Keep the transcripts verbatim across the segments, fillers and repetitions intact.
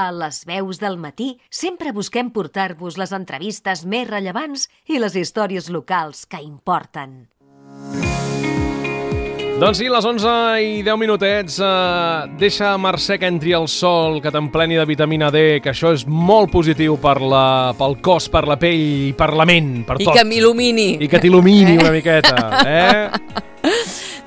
A les veus del matí sempre busquem portar-vos les entrevistes més rellevants i les històries locals que importen. Doncs sí, les onze i deu minutets. Eh, deixa, Mercè, que entri el sol, que t'empleni de vitamina D, que això és molt positiu per la, pel cos, per la pell i per la ment, per I tot. I que m'il·lumini. I que t'il·lumini una miqueta, eh?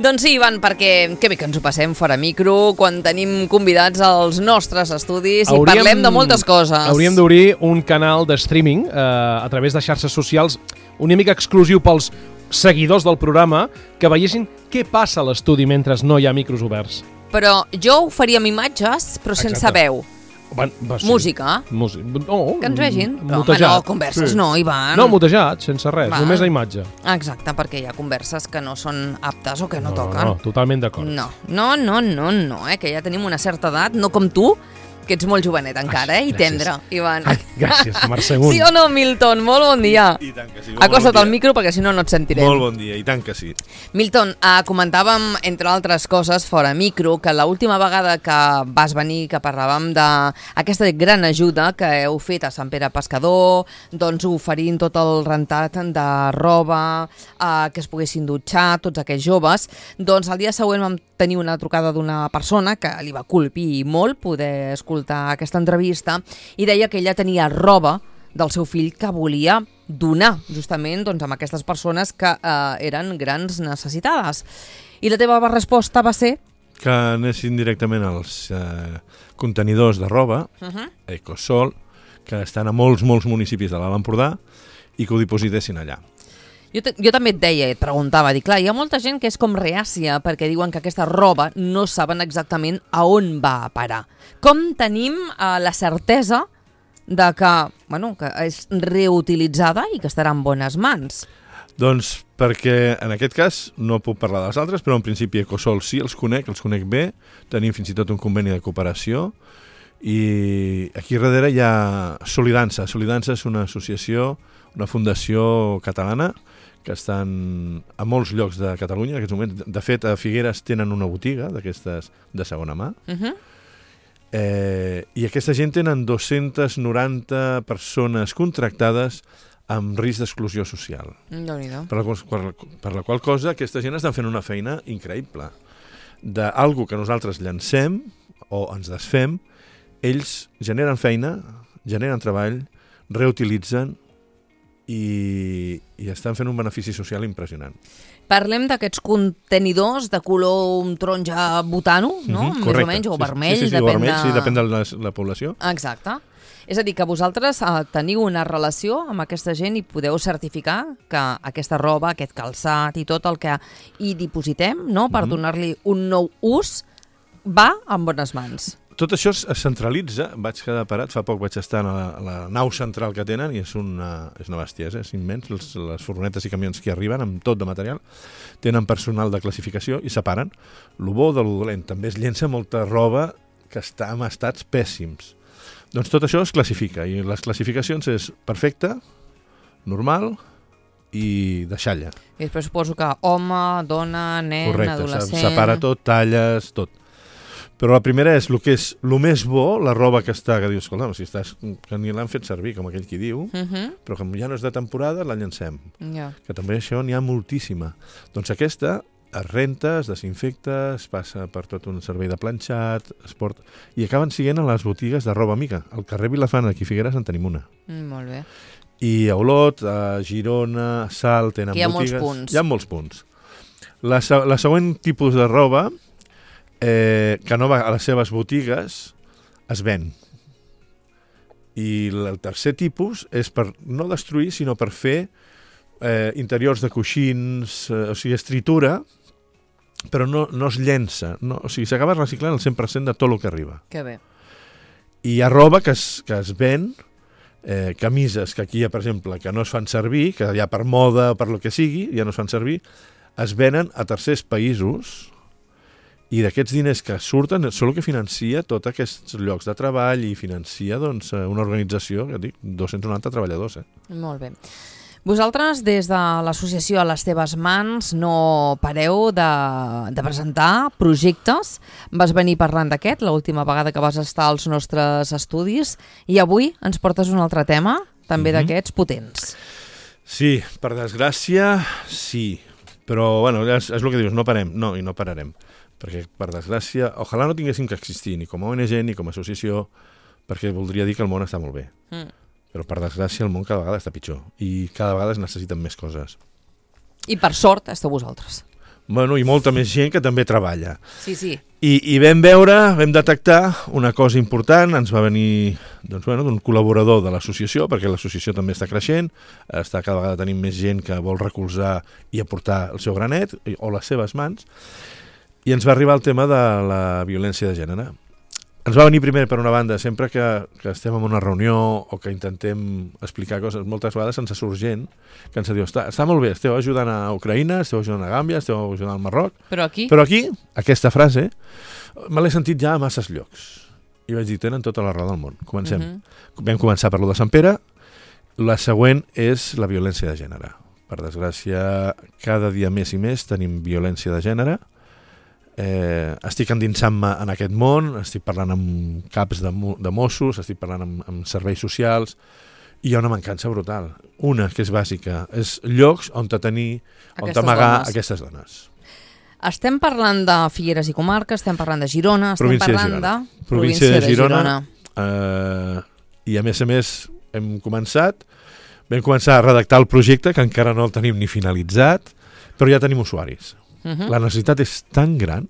Doncs sí, Ivan, perquè que bé que ens ho passem fora micro quan tenim convidats als nostres estudis hauríem, i parlem de moltes coses. Hauríem d'obrir un canal de streaming eh, a través de xarxes socials una mica exclusiu pels seguidors del programa que veiessin què passa a l'estudi mentre no hi ha micros oberts. Però jo ho faria amb imatges, però sense Exacte. veu. Va, va, sí. Música. Música. No, que ens vegin. Però, home, mutejat. no, converses sí. no, Ivan. No, mutejat, sense res, Va. només la imatge. Exacte, perquè hi ha converses que no són aptes o que no, no toquen. No, no, totalment d'acord. No, no, no, no, no, eh, que ja tenim una certa edat, no com tu, que ets molt jovenet encara, eh, i tendre, Ivan. Ai, gràcies, Mercè. Sí o no, Milton? Molt bon dia. I tant que sí. Acosta't bon al micro perquè si no no et sentirem. Molt bon dia, i tant que sí. Milton, eh, comentàvem, entre altres coses, fora micro, que l'última vegada que vas venir, que parlàvem d'aquesta gran ajuda que heu fet a Sant Pere Pescador, doncs oferint tot el rentat de roba, eh, que es poguessin dutxar, tots aquests joves, doncs el dia següent vam tenir una trucada d'una persona que li va colpir molt poder escoltar aquesta entrevista i deia que ella tenia roba del seu fill que volia donar justament doncs, amb aquestes persones que eh, eren grans necessitades. I la teva resposta va ser? Que anessin directament als eh, contenidors de roba, uh-huh. Ecosol, que estan a molts, molts municipis de l'Alt Empordà i que ho dipositessin allà. Jo, te, jo també et deia, et preguntava, dic, clar, hi ha molta gent que és com reàcia perquè diuen que aquesta roba no saben exactament a on va a parar. Com tenim eh, la certesa de que, bueno, que és reutilitzada i que estarà en bones mans? Doncs perquè en aquest cas no puc parlar dels altres, però en principi Ecosol sí, els conec, els conec bé, tenim fins i tot un conveni de cooperació i aquí darrere hi ha Solidança. Solidança és una associació, una fundació catalana que estan a molts llocs de Catalunya en aquests moments. De fet, a Figueres tenen una botiga d'aquestes de segona mà. Uh-huh. eh, I aquesta gent tenen dos-centes noranta persones contractades amb risc d'exclusió social. Déu-n'hi-do. Per la, per, per la qual cosa aquesta gent estan fent una feina increïble. D'algú que nosaltres llancem o ens desfem, ells generen feina, generen treball, reutilitzen i, i estan fent un benefici social impressionant. Parlem d'aquests contenidors de color taronja butano, no? Mm-hmm, més o menys, o vermell. Sí, sí, sí, depèn vermell, de... sí, depèn de la, la població. Exacte. És a dir, que vosaltres eh, teniu una relació amb aquesta gent i podeu certificar que aquesta roba, aquest calçat i tot el que hi dipositem, no?, per mm-hmm. donar-li un nou ús, va en bones mans. Tot això es centralitza, vaig quedar parat, fa poc vaig estar a la, a la nau central que tenen i és una, és una bestiesa, és immens, les, les furgonetes i camions que arriben amb tot de material, tenen personal de classificació i separen lo bo de lo dolent. També es llença molta roba que està en estats pèssims. Doncs tot això es classifica i les classificacions és perfecta, normal i de xalla. I després suposo que home, dona, nen, correcte, adolescent... Correcte, separa tot, talles, tot. Però la primera és el que és el més bo, la roba que està, que dius, escolta, si estàs, que ni l'han fet servir, com aquell qui diu, uh-huh. però com ja no és de temporada, la llancem. Yeah. Que també això n'hi ha moltíssima. Doncs aquesta es renta, es desinfecta, es passa per tot un servei de planxat, es porta... i acaben siguent a les botigues de roba amiga. Al carrer Vilafant, aquí a Figueres, en tenim una. Mm, molt bé. I a Olot, a Girona, a Salt, tenen hi ha botigues... molts punts. Hi ha molts punts. La, la següent tipus de roba... Eh, que no va a les seves botigues, es ven. I el tercer tipus és per no destruir, sinó per fer eh, interiors de coixins, eh, o sigui, estritura, però no, no es llença. No, o sigui, s'acaba reciclant el cent per cent de tot el que arriba. Que bé. I hi ha roba que es, que es ven, eh, camises que aquí hi ha, per exemple, que no es fan servir, que ja per moda o per lo que sigui, ja no es fan servir, es venen a tercers països. I d'aquests diners que surten són el que financia tots aquests llocs de treball i financia doncs, una organització, que dic, dos-cents noranta treballadors. Eh? Molt bé. Vosaltres, des de l'associació A les teves mans, no pareu de, de presentar projectes. Vas venir parlant d'aquest l'última vegada que vas estar als nostres estudis i avui ens portes un altre tema, també mm-hmm. d'aquests potents. Sí, per desgràcia, sí. Però, bueno, és, és el que dius, no parem. No, i no pararem. Perquè, per desgràcia, ojalà no tinguéssim que existir ni com a O N G ni com a associació, perquè voldria dir que el món està molt bé. Mm. Però, per desgràcia, el món cada vegada està pitjor i cada vegada es necessiten més coses. I per sort esteu vosaltres. Bueno, i molta més gent que també treballa. Sí, sí. I, i vam veure, vam detectar una cosa important, ens va venir doncs, bueno, d'un col·laborador de l'associació, perquè l'associació també està creixent, està cada vegada tenim més gent que vol recolzar i aportar el seu granet o les seves mans, i ens va arribar el tema de la violència de gènere. Ens va venir primer, per una banda, sempre que, que estem en una reunió o que intentem explicar coses, moltes vegades ens surt gent que ens diu, està, està molt bé, esteu ajudant a Ucraïna, esteu ajudant a Gàmbia, esteu ajudant al Marroc, però aquí, però aquí aquesta frase me l'he sentit ja a masses llocs. I vaig dir, tenen tota la raó del món. Comencem. Uh-huh. Vam començar per lo de Sant Pere, la següent és la violència de gènere. Per desgràcia, cada dia més i més tenim violència de gènere. Eh, estic endinsant-me en aquest món, estic parlant amb caps de, de Mossos, estic parlant amb, amb serveis socials, i hi ha una mancança brutal. Una, que és bàsica, és llocs on tenir, on amagar dones. Aquestes dones. Estem parlant de Figueres i Comarca, estem parlant de Girona, estem província parlant de, Girona. de província de Girona. De Girona. Eh, I a més a més hem començat, vam començar a redactar el projecte, que encara no el tenim ni finalitzat, però ja tenim usuaris. Uh-huh. La necessitat és tan gran,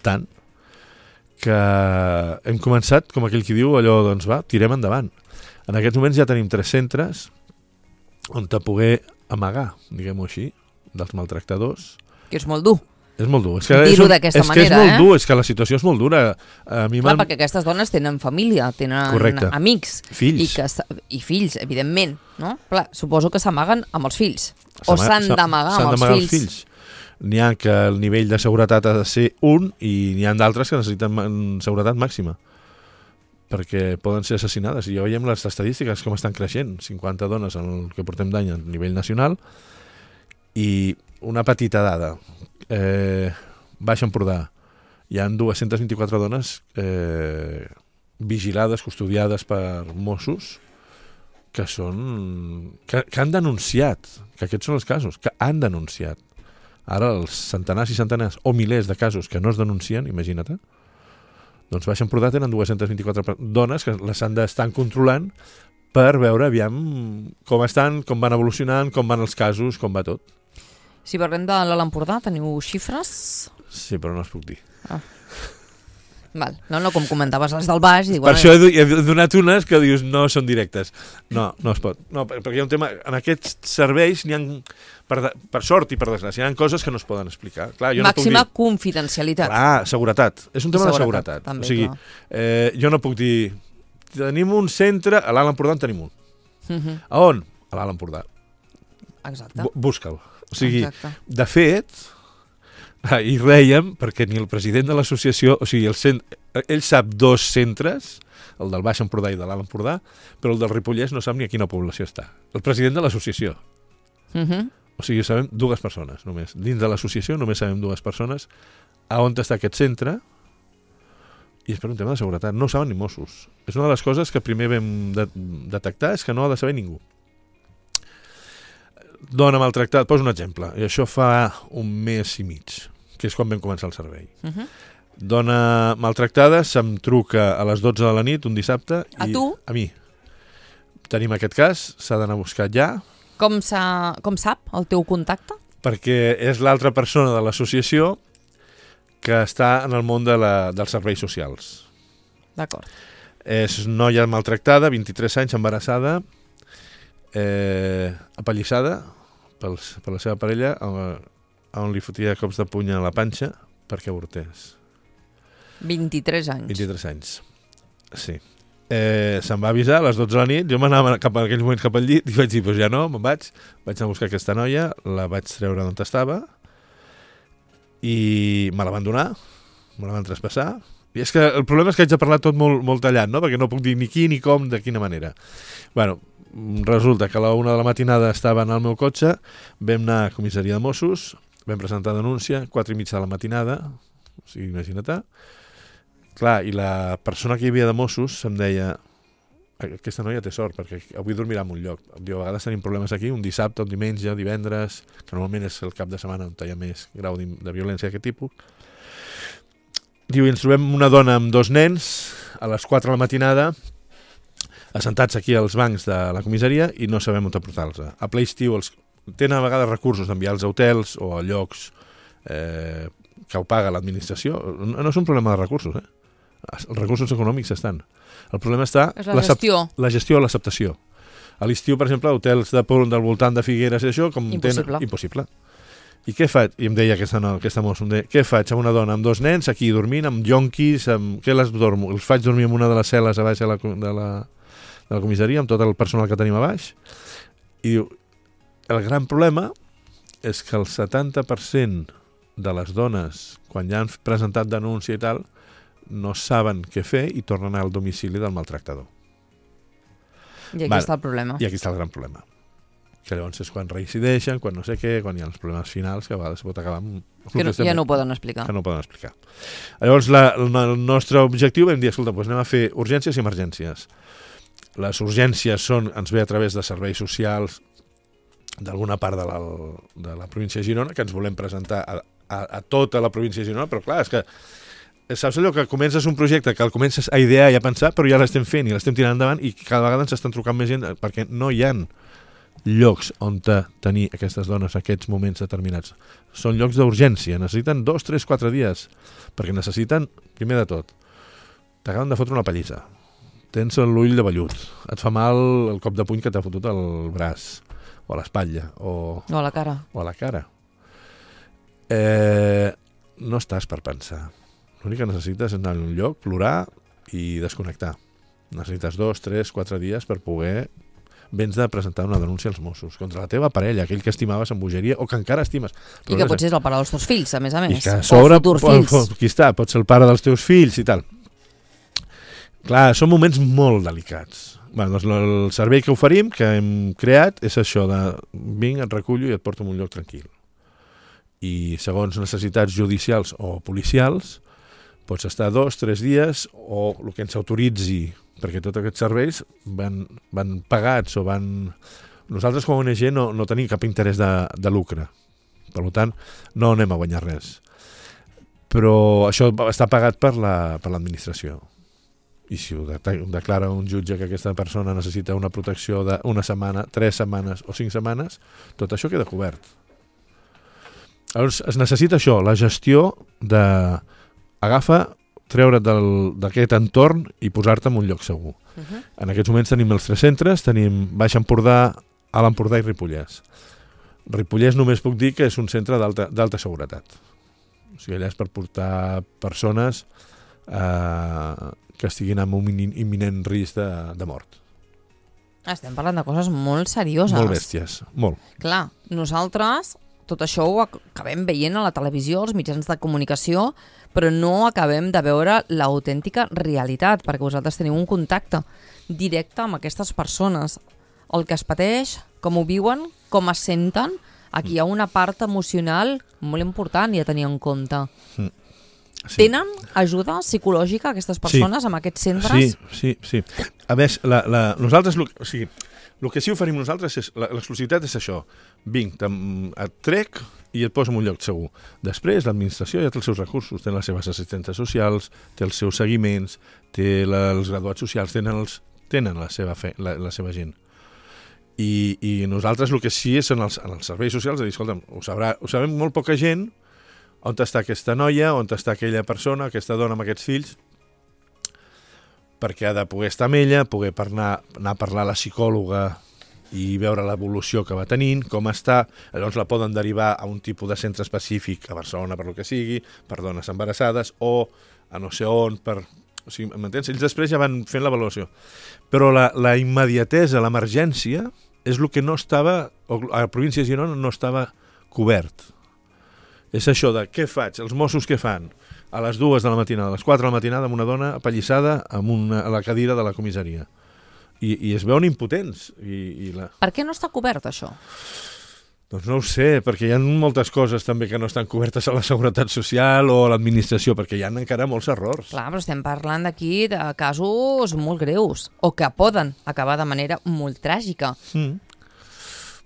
tant, que hem començat, com aquell qui diu, allò, doncs va, tirem endavant. En aquests moments ja tenim tres centres on te poder amagar, diguem-ho així, dels maltractadors. Que és molt dur. És molt dur. És que dir-ho d'aquesta manera, és que és molt eh? dur, és que la situació és molt dura. A mi Clar, perquè aquestes dones tenen família, tenen Correcte. Amics. Fills. I, que, I fills, evidentment, no? Clar, suposo que s'amaguen amb els fills. O s'han d'amagar amb els fills. fills. N'hi ha que el nivell de seguretat ha de ser un i n'hi ha d'altres que necessiten seguretat màxima perquè poden ser assassinades. I ja veiem les estadístiques com estan creixent, cinquanta dones en el que portem d'any a nivell nacional. I una petita dada, eh, Baix Empordà, hi ha dues-centes vint-i-quatre dones eh, vigilades, custodiades per Mossos que són que, que han denunciat, que aquests són els casos, que han denunciat. Ara els centenars i centenars o milers de casos que no es denuncien, imagina't, doncs Baix Empordà tenen dues-centes vint-i-quatre dones que les han d'estar controlant per veure aviam com estan, com van evolucionant, com van els casos, com va tot. Si parlem de l'Alt Empordà, teniu xifres? Sí, però no es puc dir. Ah. Val. No, no, com comentaves les del baix... Dic, per bueno, això he, he donat unes que dius no són directes. No, no es pot. No, perquè hi ha un tema... En aquests serveis n'hi ha... Per, de, per sort i per desgràcia, hi ha coses que no es poden explicar. Clar, jo Màxima no puc dir... confidencialitat. Clar, seguretat. És un tema seguretat, de seguretat. També, o sigui, eh, jo no puc dir... Tenim un centre... A l'Alt Empordà en tenim un. Uh-huh. A on? A l'Alt Empordà. Exacte. B- busca'l. O sigui, Exacte. De fet... I rèiem perquè ni el president de l'associació, o sigui, el cent... ell sap dos centres, el del Baix Empordà i de l'Alt Empordà, però el del Ripollès no sap ni a quina població està. El president de l'associació. Uh-huh. O sigui, sabem dues persones només. Dins de l'associació només sabem dues persones a on està aquest centre i és per un tema de seguretat. No ho saben ni Mossos. És una de les coses que primer vam de- detectar, és que no ha de saber ningú. Dona maltractada, poso un exemple, i això fa un mes i mig, que és quan vam començar el servei. Uh-huh. Dona maltractada, se'm truca a les dotze de la nit, un dissabte. A i tu? A mi. Tenim aquest cas, s'ha d'anar a buscar ja. Com, sa, com sap el teu contacte? Perquè és l'altra persona de l'associació que està en el món de la, dels serveis socials. D'acord. És noia maltractada, vint-i-tres anys, embarassada, eh, apallissada pels, per la seva parella, on, on li fotia cops de puny a la panxa perquè avortés. vint-i-tres anys. vint-i-tres anys, sí. Eh, se'm va avisar a les dotze de la nit, jo m'anava cap a aquells moments cap al llit i vaig dir, doncs ja no, me'n vaig, vaig anar a buscar aquesta noia, la vaig treure d'on estava i me la van donar, me la van traspassar I és que el problema és que haig de parlar tot molt, molt tallat, no? Perquè no puc dir ni qui, ni com, de quina manera. Bueno, resulta que a la una de la matinada estava en el meu cotxe, vam anar a comissaria de Mossos, vam presentar denúncia, quatre i mitja de la matinada, o sigui, imagina't. Clar, i la persona que hi havia de Mossos em deia, aquesta noia té sort, perquè avui dormirà en un lloc. Diu, a vegades tenim problemes aquí, un dissabte, un diumenge, divendres, que normalment és el cap de setmana on hi ha més grau de violència d'aquest tipus. Diu, i ens trobem una dona amb dos nens a les quatre de la matinada assentats aquí als bancs de la comissaria i no sabem on portar-los. A ple estiu els... tenen a vegades recursos d'enviar-los a hotels o a llocs eh, que ho paga l'administració. No, no és un problema de recursos, eh? Els recursos econòmics estan. El problema està... És la gestió. La gestió o l'acceptació. A l'estiu, per exemple, hotels de, del voltant de Figueres i això, com impossible. Tenen, impossible. I què faig? I em deia aquesta, no, aquesta mossa, em deia, què faig amb una dona amb dos nens aquí dormint, amb jonquis, amb... què les dormo? Els faig dormir en una de les cel·les a baix de la, de la, de la comissaria, amb tot el personal que tenim a baix. I diu, el gran problema és que el setanta per cent de les dones, quan ja han presentat denúncia i tal, no saben què fer i tornen al domicili del maltractador. I aquí vale. està el problema. I aquí està el gran problema. Que llavors és quan reincideixen, quan no sé què, quan hi ha els problemes finals, que a vegades pot acabar amb... Que no, ja no ho poden explicar. Que no ho poden explicar. Llavors, la, el nostre objectiu vam dir, escolta, doncs anem a fer urgències i emergències. Les urgències són, ens ve a través de serveis socials d'alguna part de la, de la província de Girona, que ens volem presentar a, a, a tota la província de Girona, però clar, és que saps allò que comences un projecte que el comences a idear i a pensar, però ja l'estem fent i l'estem tirant endavant i cada vegada ens estan trucant més gent perquè no hi ha llocs on tenir aquestes dones aquests moments determinats. Són llocs d'urgència, necessiten dos, tres, quatre dies, perquè necessiten, primer de tot, t'acaben de fotre una pallissa, tens l'ull de vellut, et fa mal el cop de puny que t'ha fotut al braç, o a l'espatlla, o... o a la cara. O a la cara. Eh, no estàs per pensar. L'únic que necessites és anar a un lloc, plorar i desconnectar. Necessites dos, tres, quatre dies per poder... vens de presentar una denúncia als Mossos contra la teva parella, aquell que estimaves amb bogeria o que encara estimes. I que potser és el pare dels teus fills, a més a més. I que a sobre, o futurs fills. Qui està? Pot ser el pare dels teus fills i tal. Clar, són moments molt delicats. Bé, doncs el servei que oferim, que hem creat, és això de vinc, et recullo i et porto a un lloc tranquil. I segons necessitats judicials o policials, pots estar dos, tres dies o el que ens autoritzi, perquè tots aquests serveis van, van pagats o van... Nosaltres com a O N G no, no tenim cap interès de, de lucre, per tant no anem a guanyar res. Però això està pagat per la, per l'administració. I si ho declara un jutge que aquesta persona necessita una protecció d'una setmana, tres setmanes o cinc setmanes, tot això queda cobert. Llavors es necessita això, la gestió de... Agafa, treure't d'aquest entorn i posar-te en un lloc segur. Uh-huh. En aquests moments tenim els tres centres, tenim Baix Empordà, Alt Empordà i Ripollès. Ripollès només puc dir que és un centre d'alta seguretat. O sigui, allà és per portar persones eh, que estiguin en un imminent risc de, de mort. Estem parlant de coses molt serioses. Molt bèsties, molt. Clar, nosaltres tot això ho acabem veient a la televisió, als mitjans de comunicació, però no acabem de veure l'autèntica realitat, perquè vosaltres teniu un contacte directe amb aquestes persones. El que es pateix, com ho viuen, com es senten, aquí hi ha una part emocional molt important i a tenir en compte. Sí. Tenen ajuda psicològica aquestes persones sí. amb aquests centres? Sí, sí, sí. A més, la, la, nosaltres, o sigui, el que sí oferim nosaltres, és l'exclusivitat és això. Vinc, et trec i et poso en un lloc segur. Després, l'administració ja té els seus recursos, té les seves assistentes socials, té els seus seguiments, té la, els graduats socials, tenen, els, tenen la, seva fe, la, la seva gent. I, i nosaltres el que sí és en els, en els serveis socials, de dir, escolta'm, ho, sabrà, ho sabem molt poca gent, on està aquesta noia, on està aquella persona, aquesta dona amb aquests fills, perquè ha de poder estar amb ella, poder parlar, anar a parlar a la psicòloga i veure l'evolució que va tenint, com està, llavors la poden derivar a un tipus de centre específic a Barcelona per lo que sigui, per dones embarassades, o a no sé on, per... O sigui, m'entens? Ells després ja van fent l'avaluació. Però la, la immediatesa, l'emergència, és el que no estava, a la província de Girona no estava cobert. És això de què faig, els Mossos què fan, a les dues de la matinada, a les quatre de la matinada, amb una dona apallissada amb una, a la cadira de la comissaria. I, i es veuen impotents. I, i la... Per què no està cobert, això? Doncs no ho sé, perquè hi ha moltes coses també que no estan cobertes a la Seguretat Social o a l'administració, perquè hi ha encara molts errors. Clar, però estem parlant d'aquí de casos molt greus, o que poden acabar de manera molt tràgica. Mm.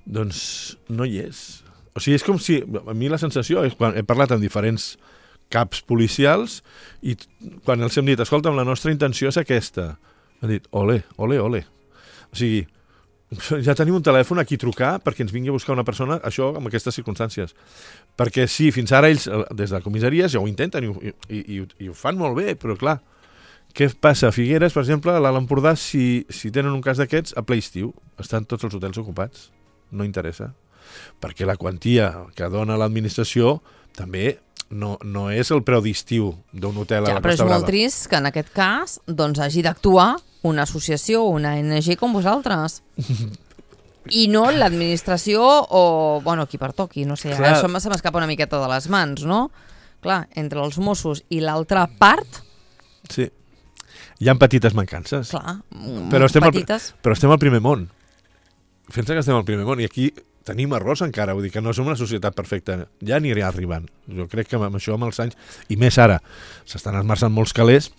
Doncs no hi és. O sigui, és com si... A mi la sensació és quan he parlat amb diferents caps policials i quan els hem dit, escolta'm, la nostra intenció és aquesta. Han dit, ole, ole, ole. O sigui, ja tenim un telèfon a qui trucar perquè ens vingui a buscar una persona, això amb aquestes circumstàncies. Perquè sí, fins ara ells, des de la comissaria, ja ho intenten i, i, i, i ho fan molt bé, però clar, què passa a Figueres, per exemple, a l'Alt Empordà, si, si tenen un cas d'aquests, a ple estiu, estan tots els hotels ocupats. No interessa. Perquè la quantia que dona l'administració també no, no és el preu d'estiu d'un hotel ja, a la Costa Brava. Però és molt trist que en aquest cas doncs, hagi d'actuar una associació o una O N G com vosaltres. I no l'administració o, bueno, qui pertoqui, no sé, Clar. Això se m'escapa una miqueta de les mans, no? Clar, entre els Mossos i l'altra part... Sí, hi ha petites mancances. Clar, però estem petites. Al, però estem al primer món. Pensa que estem al primer món i aquí tenim errors encara, vull dir que no som una societat perfecta, ja anirà arribant. Jo crec que amb això, amb els anys, i més ara, s'estan esmerçant molts calés,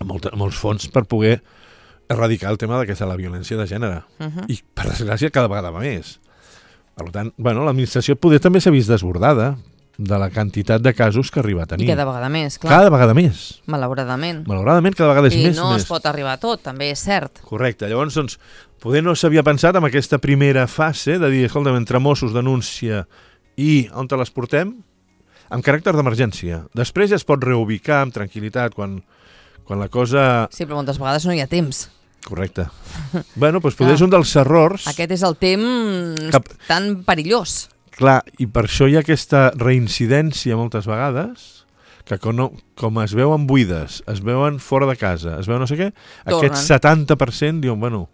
molt, molts fons per poder erradicar el tema d'aquesta la violència de gènere. Uh-huh. I, per desgràcia, cada vegada va més. Per tant, bueno, l'administració poder també s'ha vist desbordada de la quantitat de casos que arriba a tenir. I cada vegada més, clar. Cada vegada més. Malauradament. Malauradament, cada vegada és I més. I no més. es pot arribar a tot, també és cert. Correcte. Llavors, doncs, poder no s'havia pensat en aquesta primera fase de dir, escolta'm, entre Mossos, denúncia i on te les portem, amb caràcter d'emergència. Després ja es pot reubicar amb tranquil·litat quan, quan la cosa... Sí, però moltes vegades no hi ha temps. Correcte. Bueno, doncs poder és un dels errors... Aquest és el temps Cap... tan perillós. Clar, i per això hi ha aquesta reincidència moltes vegades, que com, no, com es veuen buides, es veuen fora de casa, es veuen no sé què, Tornen. Aquest setanta per cent diuen, bueno,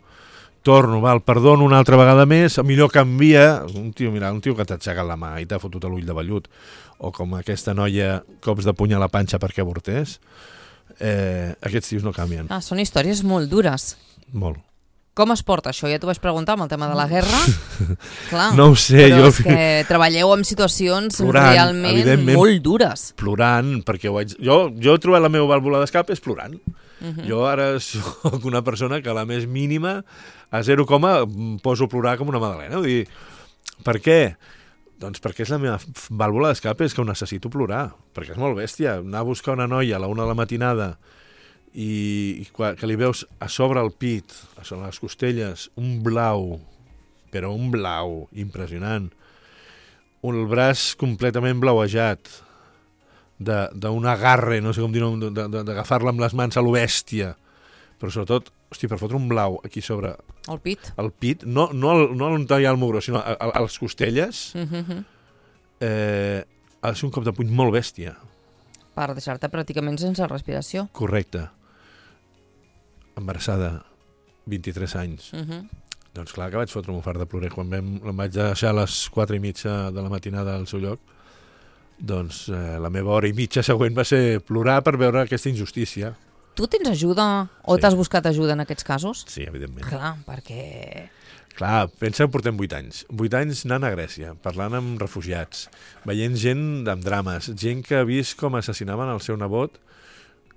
torno, val, perdono una altra vegada més, millor canvia, un tio, mira, un tio que t'ha aixecat la mà i t'ha fotut l'ull de vellut, o com aquesta noia, cops de puny a la panxa perquè avortés, eh, aquests tios no canvien. Ah, són històries molt dures. Molt. Com es porta això? Ja t'ho vaig preguntar amb el tema de la guerra. Clar, no ho sé. Però jo... és que treballeu amb situacions plorant, realment molt dures. Plorant, perquè ho haig... jo, jo he trobat la meva vàlvula d'escape és plorant. Uh-huh. Jo ara soc una persona que a la més mínima, a zero coma, poso a plorar com una magdalena. Vull dir, per què? Doncs perquè és la meva vàlvula d'escape, és que ho necessito plorar, perquè és molt bèstia. Anar a buscar una noia a la una de la matinada i, i que li veus a sobre el pit, a sobre les costelles, un blau, però un blau impressionant, un, el braç completament blauejat, d'un agarre, no sé com dir-ho, d'agafar-la amb les mans a lo bèstia, però sobretot, hosti, per fotre un blau aquí sobre... El pit? El pit, no, no, el, no on hi ha el mugró, sinó a, a, a les costelles, uh-huh. eh, ha de ser un cop de puny molt bèstia. Per deixar-te pràcticament sense respiració. Correcte. Embarassada, vint-i-tres anys. Uh-huh. Doncs clar que vaig fotre un fart de plorer. Quan vam, em vaig deixar a les quatre i mitja de la matinada al seu lloc, doncs eh, la meva hora i mitja següent va ser plorar per veure aquesta injustícia. Tu tens ajuda o sí. T'has buscat ajuda en aquests casos? Sí, evidentment. Clar, perquè... Clar, pensa que portem vuit anys. Vuit anys anant a Grècia, parlant amb refugiats, veient gent amb drames, gent que ha vist com assassinaven el seu nebot,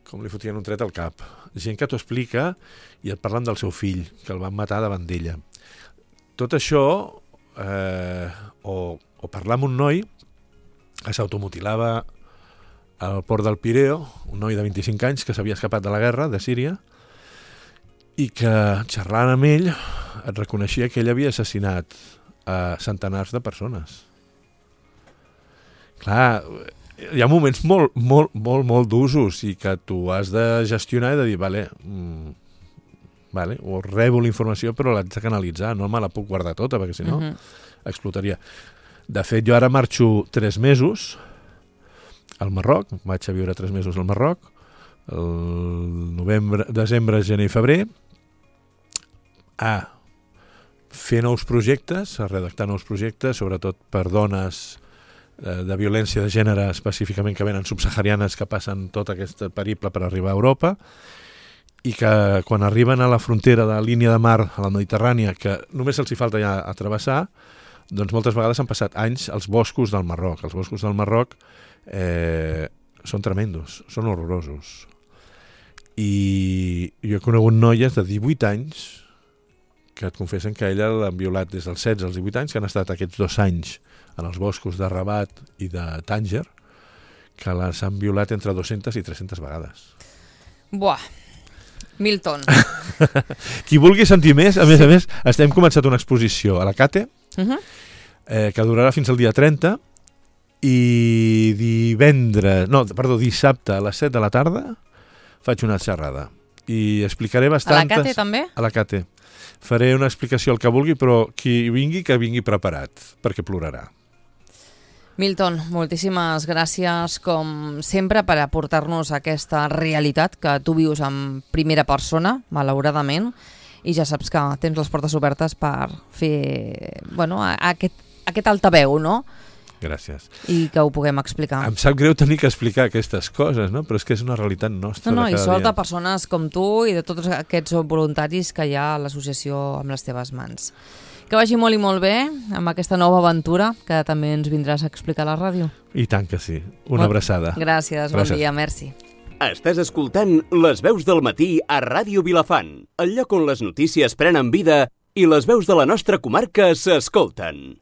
com li fotien un tret al cap. Gent que t'ho explica i et parlen del seu fill, que el van matar davant d'ella. Tot això, eh, o, o parlar amb un noi que s'automutilava al port del Pireo, un noi de vint-i-cinc anys que s'havia escapat de la guerra de Síria i que, xerrant amb ell, et reconeixia que ell havia assassinat a centenars de persones. Clar, hi ha moments molt, molt, molt, molt d'usos i que tu has de gestionar i de dir, vale, mm, vale, o rebo la informació però l'haig de canalitzar, no me la puc guardar tota perquè si no uh-huh. explotaria. De fet, jo ara marxo tres mesos al Marroc, vaig a viure tres mesos al Marroc, el novembre, desembre, gener i febrer, a fer nous projectes, a redactar nous projectes, sobretot per dones de, de violència de gènere específicament que venen subsaharianes que passen tot aquest periple per arribar a Europa i que quan arriben a la frontera de la línia de mar a la Mediterrània, que només els hi falta ja a travessar, doncs moltes vegades han passat anys als boscos del Marroc. Els boscos del Marroc eh, són tremendos, són horrorosos. I jo he conegut noies de divuit anys que et confessen que ella l'han violat des dels setze als divuit anys, que han estat aquests dos anys en els boscos de Rabat i de Tànger, que les han violat entre dues-centes i tres-centes vegades. Buah, Milton. Qui vulgui sentir més, a més a més, estem començat una exposició a la Cate, Uh-huh. eh, que durarà fins al dia trenta, i divendres, no, perdó, dissabte a les set de la tarda faig una xerrada. I explicaré bastantes... A la Cate també? A la Cate. Faré una explicació al que vulgui, però qui vingui, que vingui preparat, perquè plorarà. Milton, moltíssimes gràcies, com sempre, per aportar-nos aquesta realitat que tu vius en primera persona, malauradament, i ja saps que tens les portes obertes per fer, bueno, aquest, aquest altaveu, no? Gràcies. I que ho puguem explicar. Em sap greu tenir que explicar aquestes coses, no? Però és que és una realitat nostra No, no, de i cada sort dia. de persones com tu i de tots aquests voluntaris que hi ha a l'associació amb les teves mans. Que vagi molt i molt bé amb aquesta nova aventura que també ens vindràs a explicar a la ràdio. I tant que sí. Una Bon, abraçada. Gràcies, bon Gràcies. dia, merci. Estàs escoltant Les veus del matí a Ràdio Vilafant, el lloc on les notícies prenen vida i les veus de la nostra comarca s'escolten.